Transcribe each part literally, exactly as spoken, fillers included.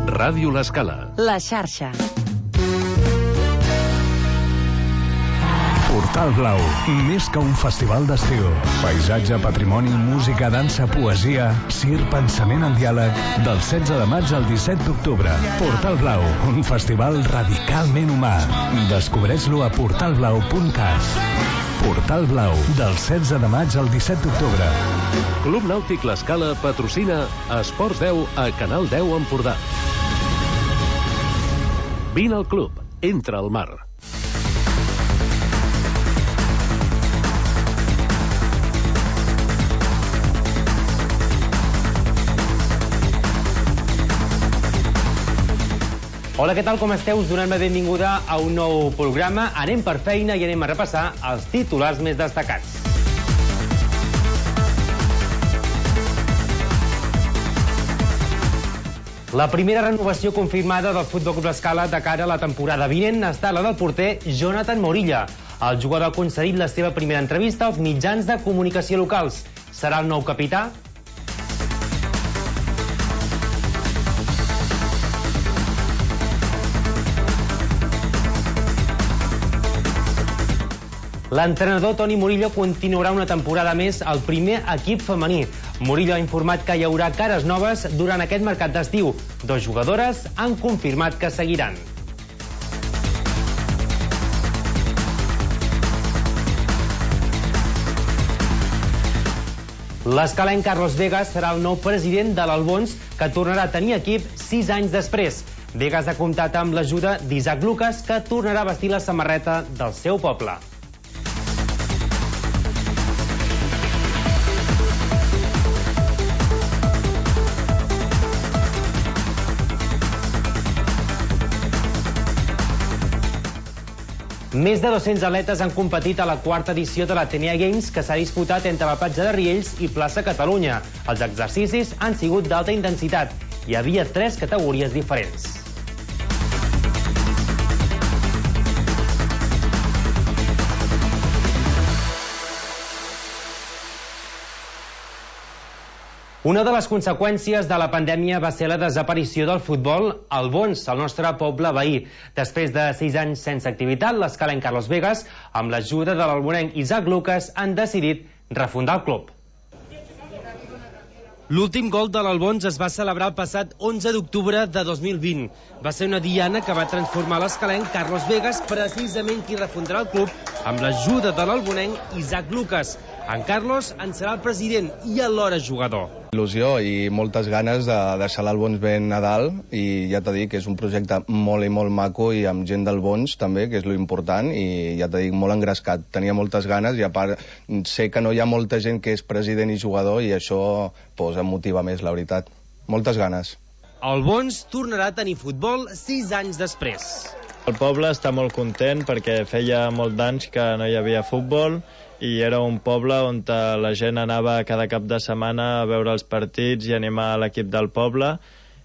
Ràdio L'Escala. La xarxa. Portal Blau, més que un festival d'estiu. Paisatge, patrimoni, música, dansa, poesia, cir, pensament en diàleg. Del setze de maig al disset d'octubre. Portal Blau, un festival radicalment humà. Descobreix-lo a portal blau punt cat. Portal Blau, del setze de maig al disset d'octubre. Club Nàutic L'Escala patrocina Esports deu a Canal deu Empordà. Vine al club, entra al mar. Hola, què tal, com esteu? Us donem la benvinguda a un nou programa. Anem per feina i anem a repassar els titulars més destacats. La primera renovació confirmada del Futbol Club L'Escala de cara a la temporada vinent ha estat la del porter Jonathan Morilla. El jugador ha concedit la seva primera entrevista als mitjans de comunicació locals. Serà el nou capità? L'entrenador Toni Murillo continuarà una temporada més al primer equip femení. Murillo ha informat que hi haurà cares noves durant aquest mercat d'estiu. Dos jugadores han confirmat que seguiran. L'escalenc Carlos Vegas serà el nou president de l'Albons, que tornarà a tenir equip sis anys després. Vegas ha comptat amb l'ajuda d'Isaac Lucas, que tornarà a vestir la samarreta del seu poble. Més de dos-cents atletes han competit a la quarta edició de l'Atenea Games, que s'ha disputat entre la platja de Riells i plaça Catalunya. Els exercicis han sigut d'alta intensitat. Hi havia tres categories diferents. Una de les conseqüències de la pandèmia va ser la desaparició del futbol al Bons, el nostre poble veí. Després de sis anys sense activitat, l'escalenc Carlos Vegas, amb l'ajuda de l'albonenc Isaac Lucas, han decidit refundar el club. L'últim gol de l'Albons es va celebrar el passat onze d'octubre de dos mil vint. Va ser una diana que va transformar l'escalenc Carlos Vegas, precisament qui refundarà el club, amb l'ajuda de l'albonenc Isaac Lucas. En Carlos en serà el president i alhora jugador. Il·lusió i moltes ganes de deixar l'Albons ben a dalt, i ja t'he dit que és un projecte molt i molt maco i amb gent del Bons també, que és lo important, i ja t'he dit molt engrescat. Tenia moltes ganes i a part sé que no hi ha molta gent que és president i jugador i això pues, em motiva més, la veritat. Moltes ganes. El Bons tornarà a tenir futbol sis anys després. El poble està molt content perquè feia molt d'anys que no hi havia futbol i era un poble on la gent anava cada cap de setmana a veure els partits i animar l'equip del poble.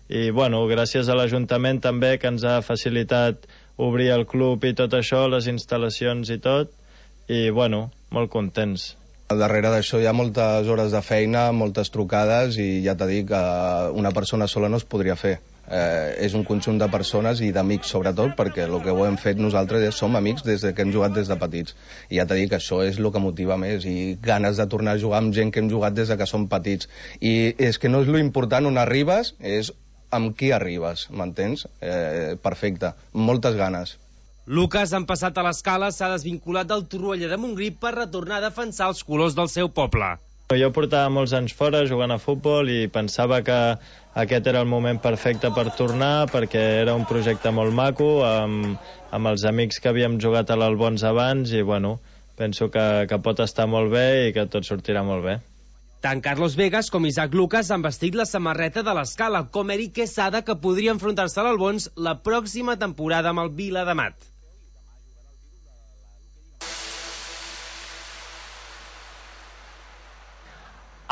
I, bueno, gràcies a l'Ajuntament també, que ens ha facilitat obrir el club i tot això, les instal·lacions i tot, i, bueno, molt contents. Al darrere d'això hi ha moltes hores de feina, moltes trucades, i ja t'he dit que una persona sola no es podria fer. Eh, és un conjunt de persones i d'amics sobretot, perquè el que ho hem fet nosaltres és som amics des que hem jugat des de petits, i ja t'he dit que això és el que motiva més, i ganes de tornar a jugar amb gent que hem jugat des de que som petits, i és que no és lo important on arribes, és amb qui arribes, m'entens? Eh, perfecte, moltes ganes. Lucas, en passat a l'Escala, s'ha desvinculat del Torroella de Montgrí per retornar a defensar els colors del seu poble. Jo portava molts anys fora jugant a futbol i pensava que aquest era el moment perfecte per tornar, perquè era un projecte molt maco, amb, amb els amics que havíem jugat a l'Albons abans, i bueno, penso que, que pot estar molt bé i que tot sortirà molt bé. Tant Carlos Vegas com Isaac Lucas han vestit la samarreta de l'Escala, com Eric Quesada, que podria enfrontar-se a l'Albons la pròxima temporada amb el Viladamat.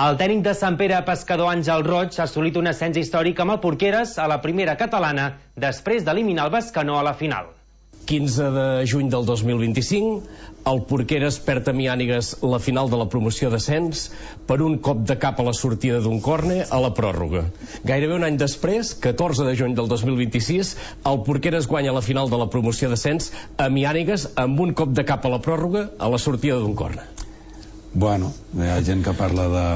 El tècnic de Sant Pere Pescador, Àngel Roig, ha assolit un ascens històric amb el Porqueres a la primera catalana després d'eliminar el Bescanó a la final. quinze de juny del dos mil vint-i-cinc, el Porqueres perd a Miànigues la final de la promoció d'ascens per un cop de cap a la sortida d'un córner a la pròrroga. Gairebé un any després, catorze de juny del dos mil vint-i-sis, el Porqueres guanya la final de la promoció d'ascens a Miànigues amb un cop de cap a la pròrroga a la sortida d'un córner. Bueno, hi ha gent que parla de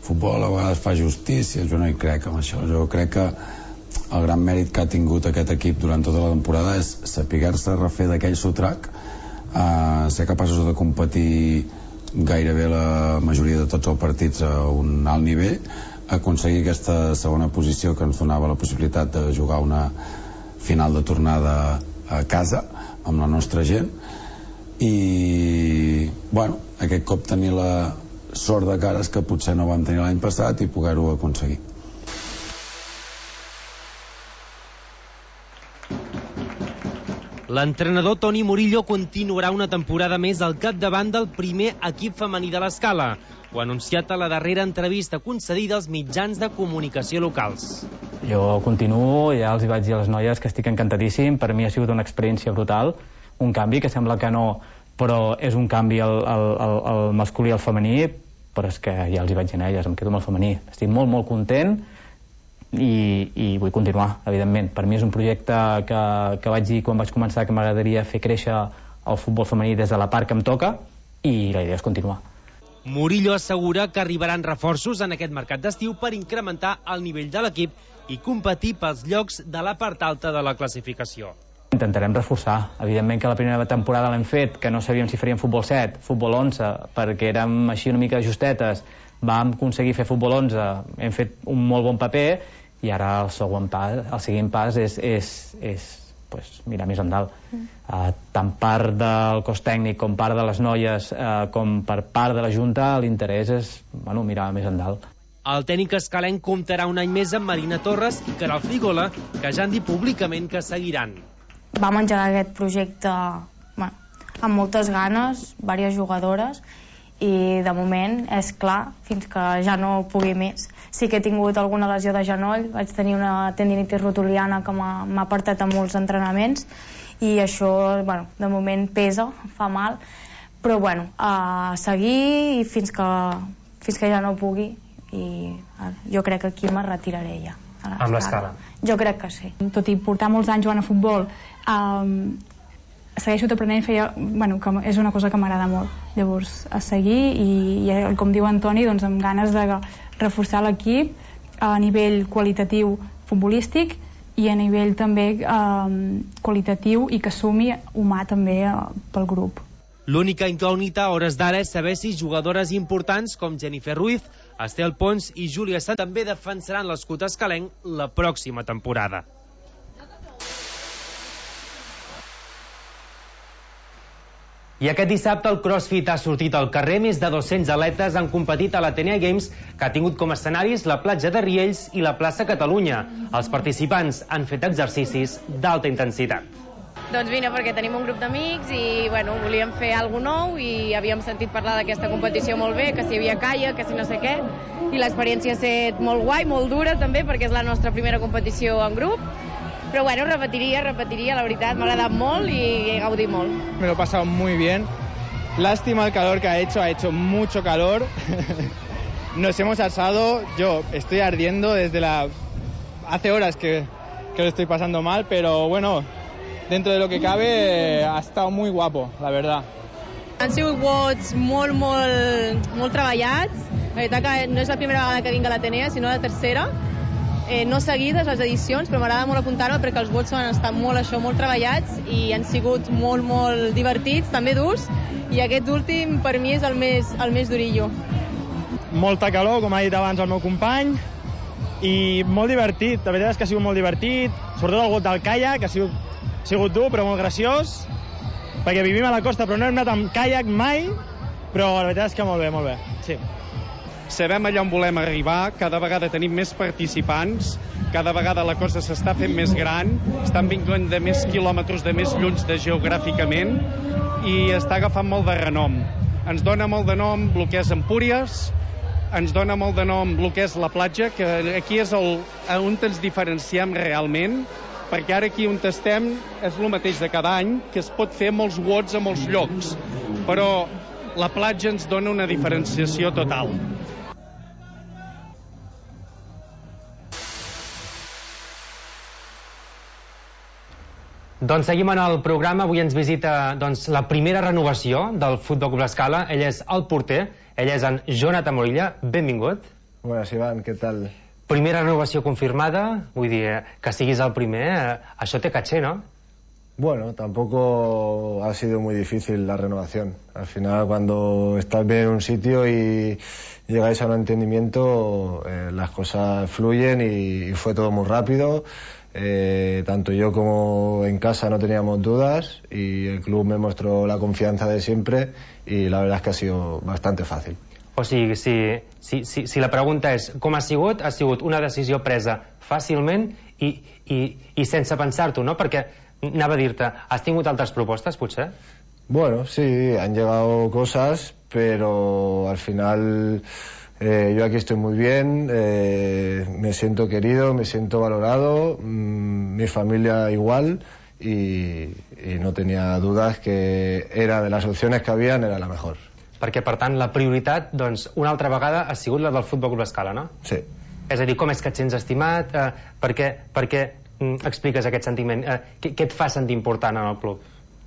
futbol, a vegades fa justícia, jo no hi crec amb això. Jo crec que el gran mèrit que ha tingut aquest equip durant tota la temporada és saber-se refer d'aquell sotrac, eh, ser capaços de competir gairebé la majoria de tots els partits a un alt nivell, aconseguir aquesta segona posició que ens donava la possibilitat de jugar una final de tornada a casa amb la nostra gent, i bueno, aquest cop tenir la sort de cares que potser no vam tenir l'any passat i poder-ho aconseguir. L'entrenador Toni Murillo continuarà una temporada més al capdavant del primer equip femení de l'Escala. Ho ha anunciat a la darrera entrevista concedida als mitjans de comunicació locals. Jo continuo, ja els hi vaig dir a les noies que estic encantadíssim. Per mi ha sigut una experiència brutal, un canvi que sembla que no, però és un canvi al, al, al masculí i al femení, però és que ja els hi vaig dir a elles, em quedo amb el femení. Estic molt, molt content i, i vull continuar, evidentment. Per mi és un projecte que, que vaig dir quan vaig començar que m'agradaria fer créixer el futbol femení des de la part que em toca, i la idea és continuar. Murillo assegura que arribaran reforços en aquest mercat d'estiu per incrementar el nivell de l'equip i competir pels llocs de la part alta de la classificació. Intentarem reforçar. Evidentment que la primera temporada l'hem fet, que no sabíem si faríem futbol set, futbol onze, perquè érem així una mica justetes. Vam aconseguir fer futbol onze, hem fet un molt bon paper, i ara el següent pas, el següent pas és, és, és pues, mirar més endalt. Mm. Uh, tant part del cos tècnic com part de les noies, uh, com per part de la Junta, l'interès és bueno, mirar més endalt. El tècnic escalenc comptarà un any més amb Marina Torres i Caral Frigola, que ja han dit públicament que seguiran. Vam engegar aquest projecte bueno, amb moltes ganes, diverses jugadores, i de moment és clar, fins que ja no pugui més. Sí que he tingut alguna lesió de genoll, vaig tenir una tendinitis rotuliana que m'ha apartat a molts entrenaments, i això bueno, de moment pesa, fa mal, però bueno, a seguir i fins que, fins que ja no pugui, i jo crec que aquí me retiraré ja. Amb l'Escala? Jo crec que sí. Tot i portar molts anys jugant a futbol, um, segueixo aprenent, feia, bueno, que és una cosa que m'agrada molt. Llavors, a seguir, i, i com diu Antoni, doncs, amb ganes de reforçar l'equip a nivell qualitatiu futbolístic i a nivell també um, qualitatiu i que sumi humà també uh, pel grup. L'única incògnita a hores d'ara és saber si jugadores importants com Jennifer Ruiz, Estel Pons i Júlia Sant també defensaran l'escut escalenc la pròxima temporada. I aquest dissabte el CrossFit ha sortit al carrer. Més de dos-cents atletes han competit a l'Atenea Games, que ha tingut com a escenaris la platja de Riells i la plaça Catalunya. Els participants han fet exercicis d'alta intensitat. Doncs vine perquè tenim un grup d'amics i bueno, volíem fer alguna cosa nou i havíem sentit parlar d'aquesta competició molt bé, que si hi havia caia, que si no sé què, i l'experiència ha estat molt guai, molt dura també, perquè és la nostra primera competició en grup, pero bueno, repetiría, repetiría, la verdad, me ha agradado molt y he gaudit molt. Me lo he pasado muy bien, lástima el calor que ha hecho, ha hecho mucho calor, nos hemos asado, yo estoy ardiendo desde la... hace horas que, que lo estoy pasando mal, pero bueno, dentro de lo que cabe, ha estado muy guapo, la verdad. Han sigut vots molt, molt, molt treballats. La veritat que no és la primera vegada que vinc a l'Atenea, sinó la tercera. Eh, no seguides les edicions, però m'agrada molt apuntar-me perquè els vots han estat molt, això, molt treballats i han sigut molt, molt divertits, també durs, i aquest últim per mi és el més, el més durillo. Molta calor, com ha dit abans el meu company, i molt divertit. La veritat és que ha sigut molt divertit, sobretot el got del caiac, que ha sigut Ha sigut dur, però molt graciós, perquè vivim a la costa, però no hem anat amb caiac mai, però la veritat és que molt bé, molt bé. Sí. Sabem allà on volem arribar, cada vegada tenim més participants, cada vegada la cosa s'està fent més gran, estan vinguent de més quilòmetres, de més llunys de geogràficament, i està agafant molt de renom. Ens dona molt de nom el que és Empúries, ens dona molt de nom el que és la platja, que aquí és el, on ens diferenciem realment, perquè ara aquí on estem és el mateix de cada any, que es pot fer molts vots a molts llocs, però la platja ens dona una diferenciació total. Doncs seguim en el programa. Avui ens visita doncs, la primera renovació del Futbol Club L'Escala. Ell és el porter, ell és en Jonathan Morilla. Benvingut. Buenas, Iván, ¿qué tal? Primera renovació confirmada, vull dir, que siguis el primer, eh, això té caché, ¿no? Bueno, tampoco ha sido muy difícil la renovación. Al final, cuando estás bien en un sitio y llegáis a un entendimiento, eh, las cosas fluyen y, y fue todo muy rápido. Eh, tanto yo como en casa no teníamos dudas y el club me mostró la confianza de siempre y la verdad es que ha sido bastante fàcil. O sigui, si, si, si, si la pregunta és com ha sigut, ha sigut una decisió presa fàcilment i, i, i sense pensar-t'ho, no? Perquè anava a dir-te, has tingut altres propostes, potser? Bueno, sí, han llegado cosas, pero al final eh, yo aquí estoy muy bien, eh, me siento querido, me siento valorado, mmm, mi familia igual y, y no tenía dudas que era de las opciones que habían, era la mejor. Perquè, per tant, la prioritat, doncs, una altra vegada ha sigut la del Futbol Club L'Escala, no? Sí. És a dir, com és que et sents estimat? Eh, per què, per què mm, expliques aquest sentiment? Eh, què, què et fa sentir important en el club?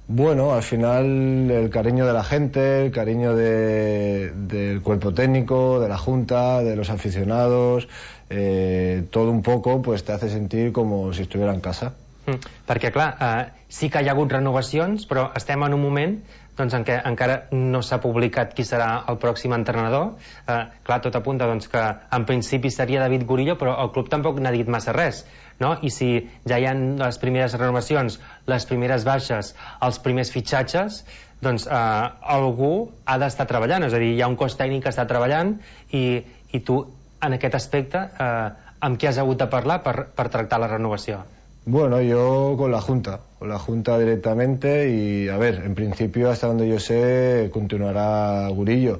Bueno, al final el cariño de la gente, el cariño de, del cuerpo técnico, de la junta, de los aficionados, eh, todo un poco pues te hace sentir como si estuviera en casa. Mm, perquè, clar, eh, sí que hi ha hagut renovacions, però estem en un moment doncs, en què encara no s'ha publicat qui serà el pròxim entrenador. Eh, clar, tot apunta doncs, que en principi seria David Gurillo, però el club tampoc n'ha dit massa res, no? I si ja hi ha les primeres renovacions, les primeres baixes, els primers fitxatges, doncs eh, algú ha d'estar treballant, és a dir, hi ha un cos tècnic que està treballant i, i tu, en aquest aspecte, eh, amb qui has hagut de parlar per, per tractar la renovació? Bueno, yo con la Junta, con la Junta directamente y, a ver, en principio, hasta donde yo sé, continuará Gurillo.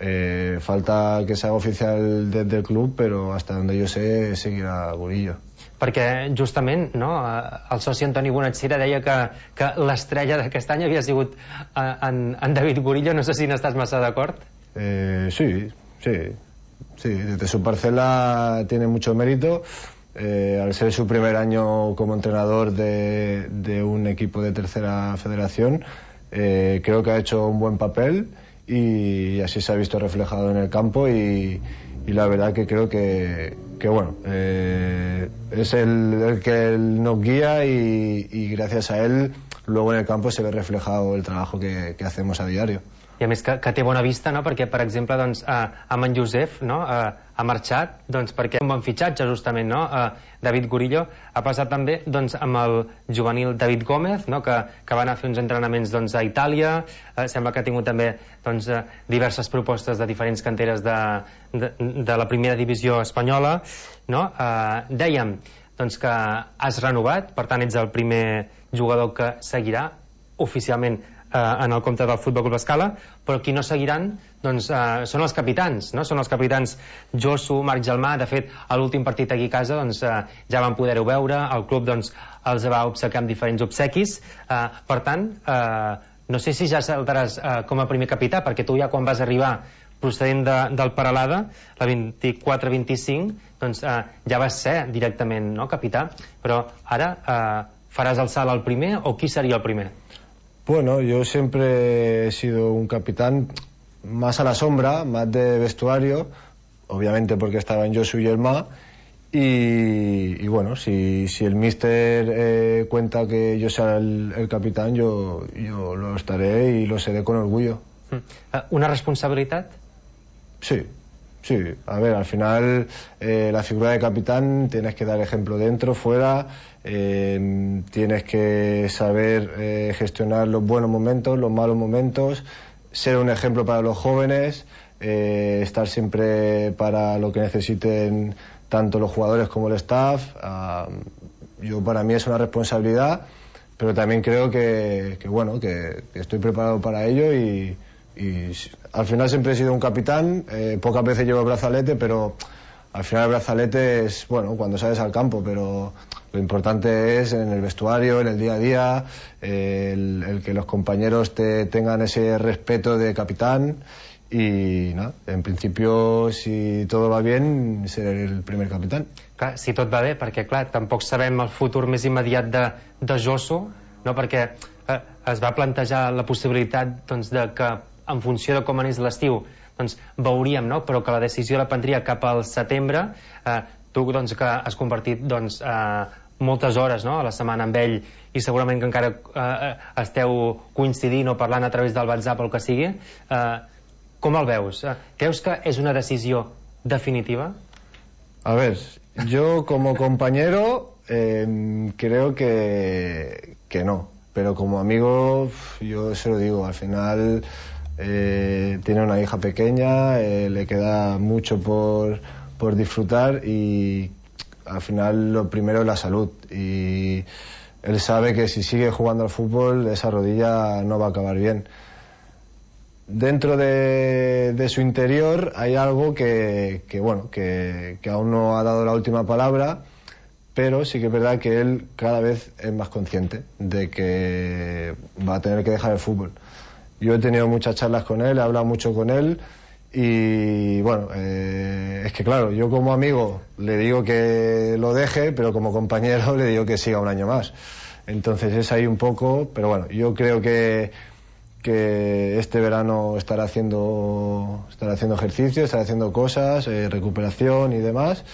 Eh, falta que se haga oficial desde el club, pero hasta donde yo sé, seguirá Gurillo. Perquè, justament, no, el soci Antoni Bonachira deia que, que l'estrella d'aquest any havia sigut en, en David Gurillo. No sé si n'estàs massa d'acord. Eh, sí, sí, sí. Desde su parcela tiene mucho mérito. Eh, al ser su primer año como entrenador de, de un equipo de tercera federación, eh, creo que ha hecho un buen papel y así se ha visto reflejado en el campo y, y la verdad que creo que, que bueno, eh, es el, el que nos guía y, y gracias a él luego en el campo se ve reflejado el trabajo que, que hacemos a diario. I a més que, que té bona vista, no? Perquè, per exemple, doncs, eh, amb en Josep, no? eh, ha marxat doncs, perquè un bon fitxatge, justament, no? eh, David Gurillo ha passat també doncs, amb el juvenil David Gómez, no? que, que va anar a fer uns entrenaments doncs, a Itàlia, eh, sembla que ha tingut també doncs, eh, diverses propostes de diferents canteres de, de, de la primera divisió espanyola, no? eh, dèiem doncs, que has renovat, per tant ets el primer jugador que seguirà oficialment en el compte del Futbol Club L'Escala, però qui no seguiran doncs, eh, són els capitans, no? Són els capitans Josu, Marc Gelmà. De fet, a l'últim partit aquí a casa doncs, eh, ja van poder-ho veure, el club doncs, els va obsequiar amb diferents obsequis, eh, per tant eh, no sé si ja saltaràs eh, com a primer capità, perquè tu ja quan vas arribar procedent de, del Peralada, la vint-i-quatre vint-i-cinc, doncs eh, ja vas ser directament, no, capità, però ara eh, faràs el salt al primer o qui seria el primer? Bueno, yo siempre he sido un capitán más a la sombra, más de vestuario, obviamente porque estaba en Josu y Elma, y, y bueno, si, si el míster eh, cuenta que yo sea el, el capitán, yo, yo lo estaré y lo seré con orgullo. ¿Una responsabilidad? Sí, sí. A ver, al final eh, la figura de capitán tienes que dar ejemplo dentro, fuera. Eh, tienes que saber eh, gestionar los buenos momentos, los malos momentos, ser un ejemplo para los jóvenes, eh, estar siempre para lo que necesiten tanto los jugadores como el staff. Uh, yo para mí es una responsabilidad, pero también creo que, que bueno, que, que estoy preparado para ello y, y al final siempre he sido un capitán. Eh, pocas veces llevo el brazalete, pero al final el brazalete es bueno cuando sales al campo, pero Lo importante es en el vestuario, en el día a día, eh, el, el que los compañeros te tengan ese respeto de capitán i no, en principio si tot va bien seré el primer capitán. Clar, si tot va bé, perquè clar, tampoc sabem el futur més immediat de, de Josu, no? Perquè eh, es va plantejar la possibilitat doncs, de que en funció de com anés l'estiu doncs, veuríem, no? Però que la decisió la prendria cap al setembre. eh, tu doncs, que has compartit doncs, eh, moltes hores, no? A la setmana amb ell i segurament que encara eh, esteu coincidint o parlant a través del WhatsApp o el que sigui. eh, Com el veus? ¿Creus que es una decisión definitiva? A ver, yo como compañero eh, creo que, que no, pero como amigo yo se lo digo, al final eh, tiene una hija pequeña, eh, le queda mucho por, por disfrutar y al final lo primero es la salud y él sabe que si sigue jugando al fútbol esa rodilla no va a acabar bien. Dentro de, de su interior hay algo que, que bueno, que, que aún no ha dado la última palabra, pero sí que es verdad que él cada vez es más consciente de que va a tener que dejar el fútbol. Yo he tenido muchas charlas con él, he hablado mucho con él y bueno, eh, es que claro, yo como amigo le digo que lo deje, pero como compañero le digo que siga un año más. Entonces es ahí un poco, pero bueno, yo creo que que este verano estará haciendo estará haciendo ejercicio, estará haciendo cosas, eh, recuperación y demás,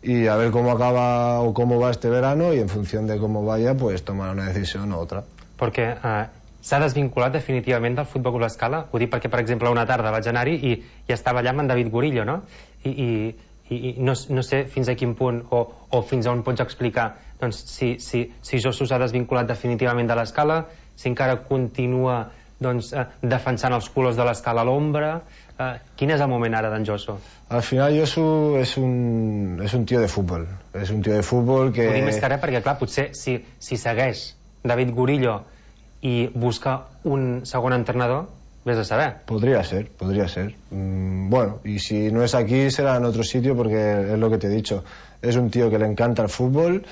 y a ver cómo acaba o cómo va este verano y en función de cómo vaya pues tomar una decisión u otra. Perquè eh, s'ha desvinculat definitivament del Futbol Club Escala. Ho dic perquè, per exemple, una tarda vaig anar-hi i, i estava allà amb en David Gurillo, no? I, i, i no, no sé fins a quin punt o, o fins a on pots explicar doncs, si, si, si Josu s'ha desvinculat definitivament de l'Escala, si encara continua doncs, eh, defensant els colors de l'Escala a l'ombra. Eh, quin és el moment ara d'en Josu? Al final Josu és un, és un tio de futbol, és un tio de futbol que... Ho dic més que res perquè, clar, potser si, si segueix David Gurillo i busca un segon entrenador, vés a saber. Podría ser, podría ser. Mm, bueno, y si no es aquí será en otro sitio porque es lo que te he dicho. Es un tío que le encanta el fútbol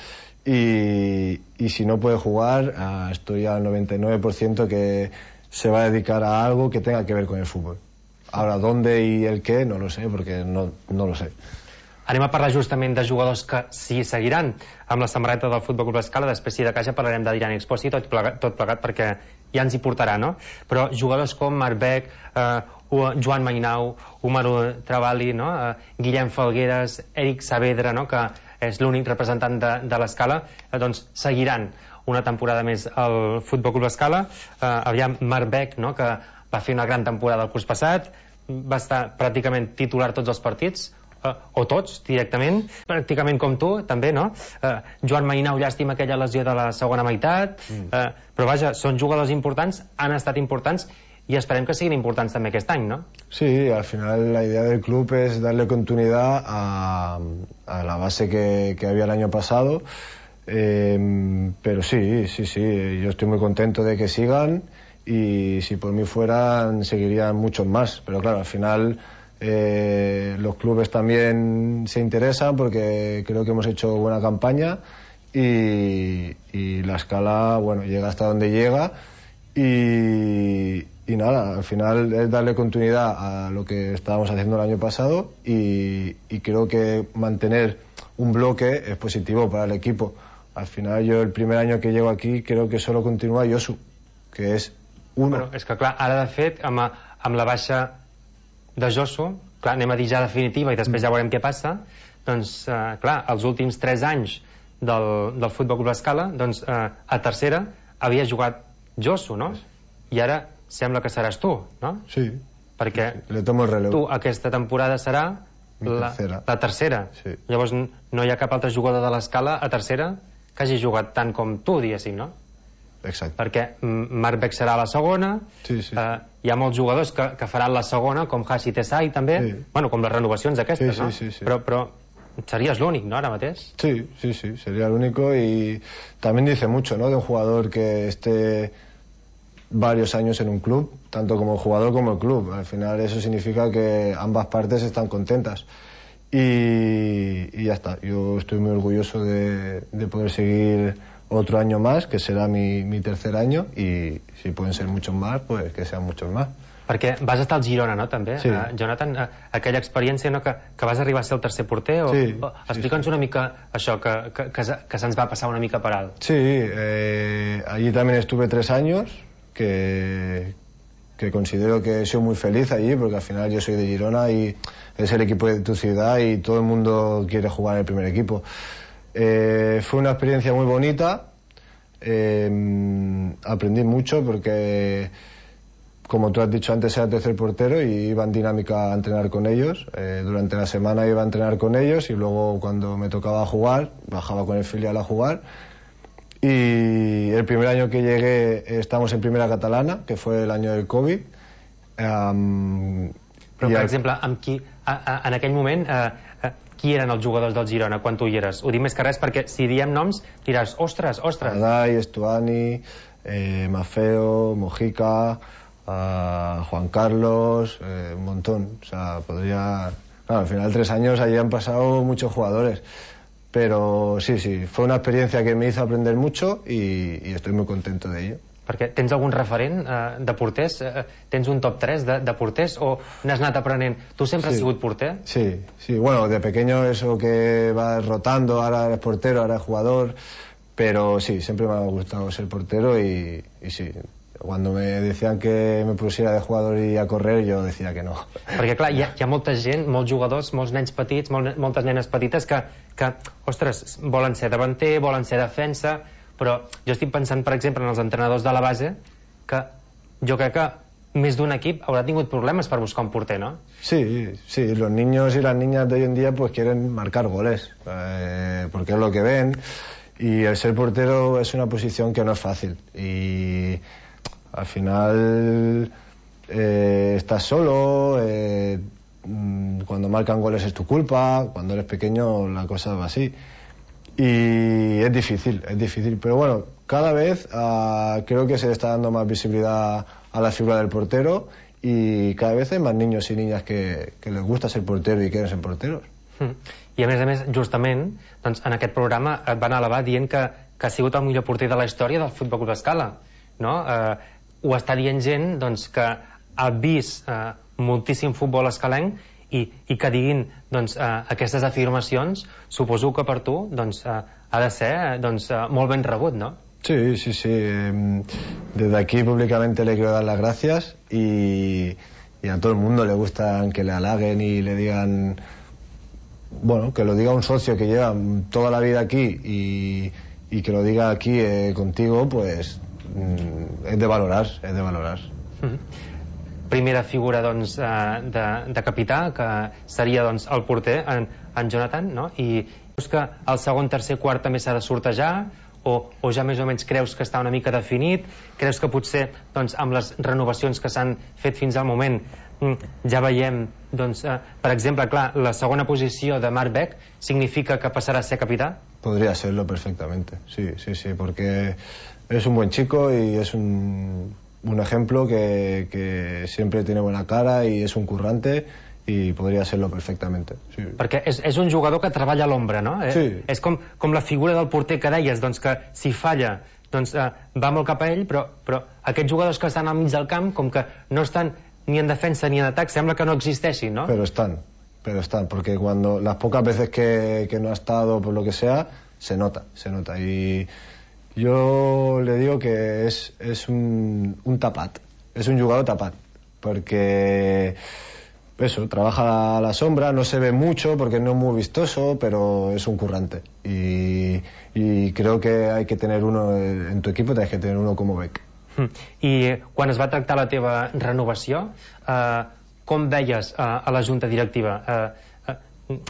y, y si no puede jugar, ah, estoy al noventa y nueve por ciento que se va a dedicar a algo que tenga que ver con el fútbol. Ahora, dónde y el qué, no lo sé, porque no, no lo sé. Anem a parlar justament de jugadors que sí seguiran amb la samarreta del Futbol Club Escala. Després, si de caixa, parlarem de Diran Exposi, tot plegat, tot plegat perquè ja ens hi portarà, no? Però jugadors com Marc Beck, eh, Joan Mainau, Umaru Travali, no? eh, Guillem Falgueres, Eric Saavedra, no? Que és l'únic representant de, de l'Escala, eh, doncs seguiran una temporada més al Futbol Club Escala. Eh, aviam, Marc Beck, no? Que va fer una gran temporada el curs passat, va estar pràcticament titular tots els partits, eh, o tots directament, pràcticament com tu també, no? Eh, Joan Mainau, llàstima aquella lesió de la segona meitat, mm. eh, però vaja, són jugadors importants, han estat importants y esperem que siguin importants també aquest any, ¿no? Sí, al final la idea del club es darle continuidad a, a la base que, que había el año pasado. Eh, pero sí, sí, sí, yo estoy muy contento de que sigan y si por mí fueran seguirían muchos más, pero claro, al final eh, los clubes también se interesan porque creo que hemos hecho buena campaña y, y la Escala, bueno, llega hasta donde llega y, y nada, al final es darle continuidad a lo que estábamos haciendo el año pasado y, y creo que mantener un bloque es positivo para el equipo. Al final yo el primer año que llego aquí creo que solo continúa Josu, que és uno. Però és que clar, ara de fet amb, amb la baixa de Josu, clar, anem a dir ja definitiva i després ja veurem què passa, doncs eh, clar, els últims tres anys del, del Futbol Club Escala, doncs eh, a tercera havia jugat Josu, no? I ara sembla que seràs tu, no? Sí. Perquè le tomo el relevo. Tu aquesta temporada serà la tercera, la tercera. Sí. Llavors no hi ha cap altre jugador de l'Escala a tercera que hagi jugat tant com tu, diguéssim, no? Exacte. Perquè Marc Beck serà la segona, sí, sí. Eh, hi ha molts jugadors que, que faran la segona, com Hashi Tesai també, sí. Bueno, com les renovacions aquestes, sí, sí, no? Sí, sí. Però, però serías l'únic, ¿no? Ahora mateix. Sí, sí, sí, sería el único y también dice mucho, ¿no? De un jugador que esté varios años en un club, tanto como el jugador como el club. Al final eso significa que ambas partes están contentas. y, y ya está. Yo estoy muy orgulloso de, de poder seguir otro año más, que será mi, mi tercer año, y si pueden ser muchos más, pues que sean muchos más. Perquè vas estar al Girona, no, també? Sí. Uh, Jonathan, uh, aquella experiència, no, que, que vas arribar a ser el tercer porter, o, sí, o explica'ns sí, sí. una mica això, que, que, que, que se'ns va passar una mica per alt. Sí, eh, allí también estuve tres años, que, que considero que he sido muy feliz allí, porque al final yo soy de Girona y es el equipo de tu ciudad y todo el mundo quiere jugar en el primer equipo. Eh, fue una experiencia muy bonita, eh, aprendí mucho porque, como tú has dicho antes, era tercer portero y iba en dinámica a entrenar con ellos. Eh, durante la semana iba a entrenar con ellos y luego cuando me tocaba jugar, bajaba con el filial a jugar. Y el primer año que llegué estamos en primera catalana, que fue el año del Covid. Um, Però, per exemple, amb qui, a, a, en aquell moment, eh, eh, qui eren els jugadors del Girona quan tu hi eres? Ho dic més que res perquè si diem noms diràs, ostres, ostres. Adai, Estuani, eh, Mafeo, Mojica, uh, Juan Carlos, eh, un montón. O sea, podría... Claro, al final de tres años allí han pasado muchos jugadores. Pero sí, sí, fue una experiencia que me hizo aprender mucho y, y estoy muy contento de ello. Perquè tens algun referent eh, de porters? Eh, tens un top tres de, de porters o n'has anat aprenent? Tu sempre sí. has sigut porter? Sí, sí, bueno, de pequeño eso que vas rotando, ahora eres portero, ahora eres jugador, pero sí, siempre me ha gustado ser portero y, y sí, cuando me decían que me pusiera de jugador y a correr, yo decía que no. Perquè clar, hi ha, hi ha molta gent, molts jugadors, molts nens petits, molt, moltes nenes petites que, que, ostres, volen ser davanter, volen ser defensa, però jo estic pensant, per exemple, en els entrenadors de la base, que jo crec que més d'un equip haurà tingut problemes per buscar un porter, ¿no? Sí, sí, los niños y las niñas de hoy en día pues quieren marcar goles, eh, porque es lo que ven, y el ser portero es una posición que no es fácil, y al final eh, estás solo, eh, cuando marcan goles es tu culpa, cuando eres pequeño la cosa va así. Y es difícil, es difícil, pero bueno, cada vez uh, creo que se le está dando más visibilidad a la figura del portero y cada vez hay más niños y niñas que, que les gusta ser portero y quieren ser porteros. Mm. I a més a més, justament, doncs, en aquest programa et van elevar dient que, que ha sigut el millor porter de la història del Futbol Club Escala, no? Eh, ho està dient gent doncs, que ha vist eh, moltíssim futbol escalenc i, i que diguin doncs, eh, aquestes afirmacions, suposo que per tu doncs, eh, ha de ser eh, doncs, eh, molt ben rebut, ¿no? Sí, sí, sí. Desde aquí públicamente le quiero dar las gracias y, y a todo el mundo le gusta que le halaguen y le digan, bueno, que lo diga un socio que lleva toda la vida aquí y, y que lo diga aquí eh, contigo, pues mm, es de valorar, es de valorar. Mm-hmm. Primera figura doncs, de, de capità, que seria doncs, el porter, en, en Jonathan, no? I creus que el segon, tercer, quart també s'ha de sortejar? O, o ja més o menys creus que està una mica definit? Creus que potser doncs, amb les renovacions que s'han fet fins al moment ja veiem, doncs, eh, per exemple, clar, la segona posició de Marc Beck significa que passarà a ser capità? Podría serlo perfectamente, sí, sí, sí, porque es un buen chico y es un... un ejemplo que, que siempre tiene buena cara y es un currante y podría serlo perfectamente. Sí. Perquè és, és un jugador que treballa a l'ombra, no? Sí. Eh, és com, com la figura del porter que deies, doncs que si falla doncs, eh, va molt cap a ell, però, però aquests jugadors que estan al mig del camp, com que no estan ni en defensa ni en atac, sembla que no existeixin, ¿no? Pero están, pero están, porque cuando las pocas veces que, que no ha estado por lo que sea, se nota, se nota y... Yo le digo que es, es un, un tapat, es un jugador tapat, porque eso, trabaja a la sombra, no se ve mucho porque no es muy vistoso, pero es un currante. Y, y creo que hay que tener uno en tu equipo, tienes que tener uno como Beck. I quan es va tractar la teva renovació, eh, com veies eh, a la junta directiva? Eh,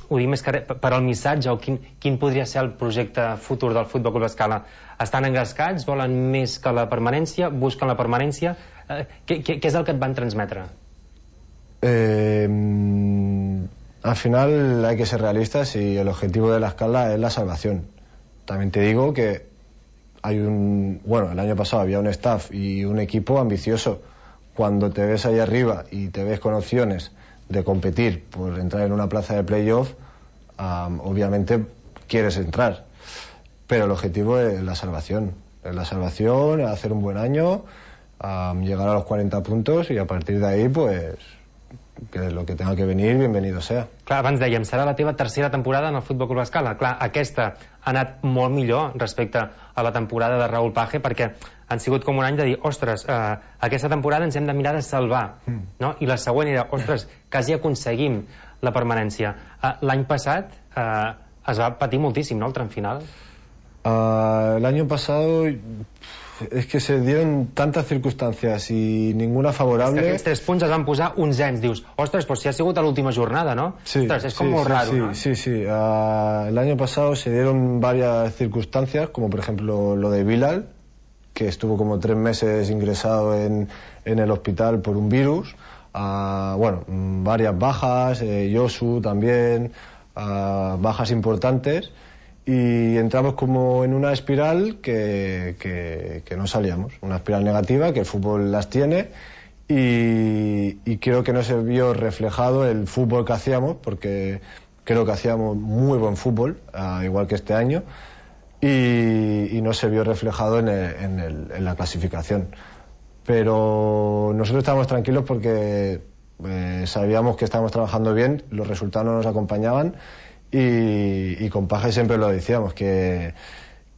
ho dic més que per al missatge o quin, quin podria ser el projecte futur del Futbol Club Escala? Estan engrescats, volen més que la permanència, busquen la permanència, eh, què, què, què és el que et van transmetre? Eh, al final hay que ser realistas y el objetivo de la Escala es la salvación. También te digo que hay un, bueno, el año pasado había un staff y un equipo ambicioso. Cuando te ves ahí arriba y te ves con opciones de competir por entrar en una plaza de playoff, um, obviamente quieres entrar, pero el objetivo es la salvación, es la salvación, hacer un buen año, um, llegar a los cuarenta puntos y a partir de ahí, pues, que lo que tenga que venir, bienvenido sea. Clar, abans dèiem, serà la teva tercera temporada en el Futbol Club Escala. Clar, aquesta ha anat molt millor respecte a la temporada de Raúl Page, perquè han sigut com un any de dir, ostres, eh, aquesta temporada ens hem de mirar de salvar, mm. no? I la següent era, ostres, quasi aconseguim la permanència. Eh, L'any passat eh, es va patir moltíssim, no?, el tram final. Uh, el año pasado es que se dieron tantas circunstancias y ninguna favorable. És que aquests tres punts es van posar onzens, dius, ostres, pues si ha sigut a l'última jornada, ¿no? Sí, ostres, es sí, como sí, raro, sí, ¿no? Sí, sí, uh, el año pasado se dieron varias circunstancias, como por ejemplo lo de Bilal, que estuvo como tres meses ingresado en, en el hospital por un virus, uh, bueno, varias bajas, eh, Yosu también, uh, bajas importantes, y entramos como en una espiral que, que, que no salíamos, una espiral negativa, que el fútbol las tiene, y, y creo que no se vio reflejado el fútbol que hacíamos, porque creo que hacíamos muy buen fútbol, uh, igual que este año, y, y no se vio reflejado en, el, en, el, en la clasificación. Pero nosotros estábamos tranquilos porque eh, sabíamos que estábamos trabajando bien, los resultados no nos acompañaban, y, y con Paje siempre lo decíamos, que,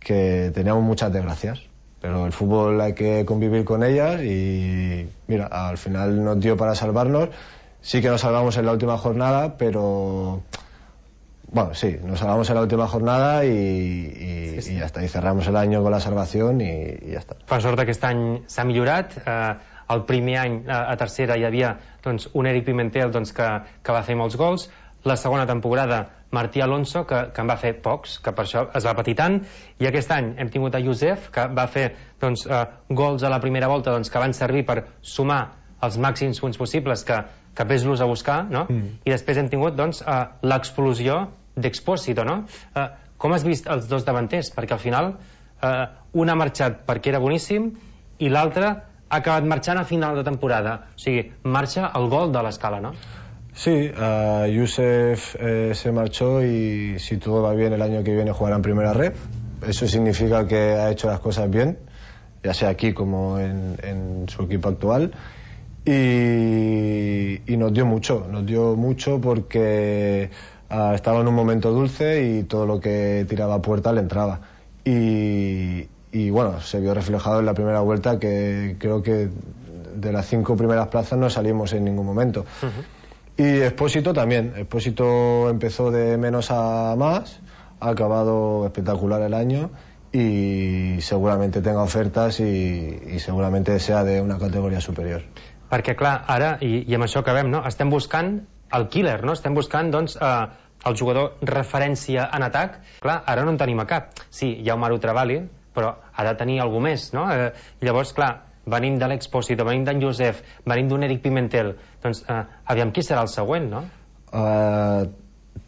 que teníamos muchas desgracias, pero el fútbol hay que convivir con ellas y mira, al final nos dio para salvarnos. Sí que nos salvamos en la última jornada, pero bueno, sí, nos salvamos en la última jornada y, y, sí, sí. y ya está, y cerramos el año con la salvación y, y ja està. Per sort aquest any s'ha millorat. Eh, el primer any a, a tercera hi havia doncs, un Eric Pimentel doncs, que, que va fer molts gols. La segona temporada Martí Alonso, que, que en va fer pocs, que per això es va patir tant, i aquest any hem tingut a Josef, que va fer doncs, eh, gols a la primera volta doncs, que van servir per sumar els màxims punts possibles, que, que ves-los a buscar, no? Mm. I després hem tingut doncs, eh, l'explosió d'Expósito, no? Eh, com has vist els dos davanters? Perquè al final eh, un ha marxat perquè era boníssim i l'altre ha acabat marxant a final de temporada. O sigui, marxa el gol de l'Escala, no? Sí, uh, Yusef eh, se marchó y si todo va bien el año que viene jugará en primera red. Eso significa que ha hecho las cosas bien, ya sea aquí como en, en su equipo actual. Y, y nos dio mucho, nos dio mucho porque uh, estaba en un momento dulce y todo lo que tiraba a puerta le entraba. Y, y bueno, se vio reflejado en la primera vuelta que creo que de las cinco primeras plazas no salimos en ningún momento. Uh-huh. Y Expósito también. Expósito empezó de menos a más, ha acabado espectacular el año y seguramente tenga ofertas y, y seguramente sea de una categoría superior. Perquè, clar, ara, i, i amb això acabem, no? Estem buscant el killer, no? Estem buscant, doncs, eh, el jugador referència en atac. Clar, ara no en tenim a cap. Sí, hi ha Omaru Travali, però ha de tenir algú més, no? Eh, llavors, clar, venim de l'Expósito, venim d'en Josef, venim d'un Eric Pimentel, doncs eh, aviam qui serà el següent, no? Uh,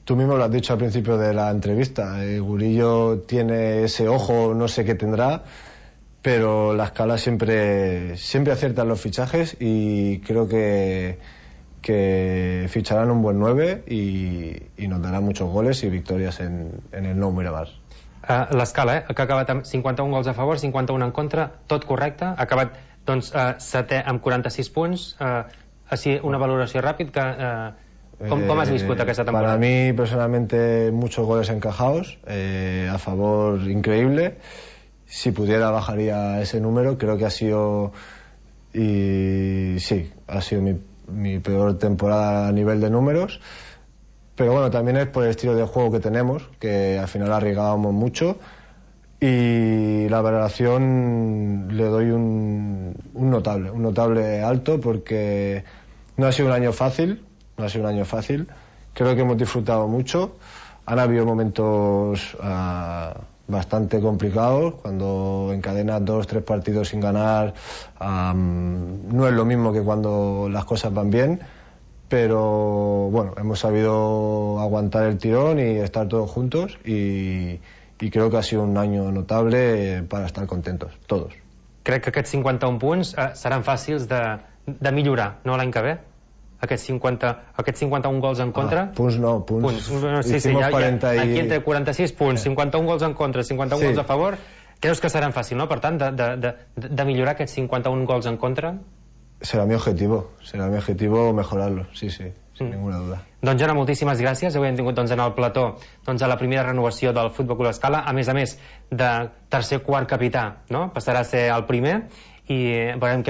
tú mismo lo has dicho al principio de la entrevista, eh, Gurillo tiene ese ojo, no sé qué tendrá, pero la Escala siempre, siempre acierta los fichajes y creo que, que ficharán un buen nueve y, y nos darán muchos goles y victorias en, en el Nou Miramar. Uh, L'Escala, eh, que ha acabat amb cinquanta-un gols a favor, cinquanta-un en contra, tot correcte, ha acabat doncs, uh, setè amb quaranta-sis punts, uh, així una valoració ràpid, que, uh, com, com has viscut aquesta temporada? Para mí, personalmente, muchos goles encajados, eh, a favor increíble. Si pudiera bajaría ese número, creo que ha sido, y sí, ha sido mi, mi peor temporada a nivel de números. Pero bueno, también es por el estilo de juego que tenemos, que al final arriesgábamos mucho y la valoración le doy un, un notable, un notable alto porque no ha sido un año fácil, no ha sido un año fácil, creo que hemos disfrutado mucho, han habido momentos uh, bastante complicados, cuando encadenas dos, tres partidos sin ganar, um, no es lo mismo que cuando las cosas van bien. Pero bueno, hemos sabido aguantar el tirón y estar todos juntos y, y creo que ha sido un año notable para estar contentos, todos. Crec que aquests cinquanta-un punts eh, seran fàcils de, de millorar, no l'any que ve? aquests cinquanta-un gols en contra? Ah, punts no, punts. punts. No, sí, sí, ja, ja, aquí entre quaranta-sis punts, cinquanta-un gols en contra, cinquanta-un sí. gols a favor, creus que seran fàcil, no? Per tant, de, de, de, de millorar aquests cinquanta-un gols en contra? Serà mi objetivo, serà mi objetivo mejorarlo, sí, sí, sin mm. ninguna duda. Doncs, Jona, moltíssimes gràcies. Avui hem tingut doncs, en el plató doncs, a la primera renovació del Futbol Club Escala, a més a més de tercer quart capità, no? Passarà a ser el primer i veurem què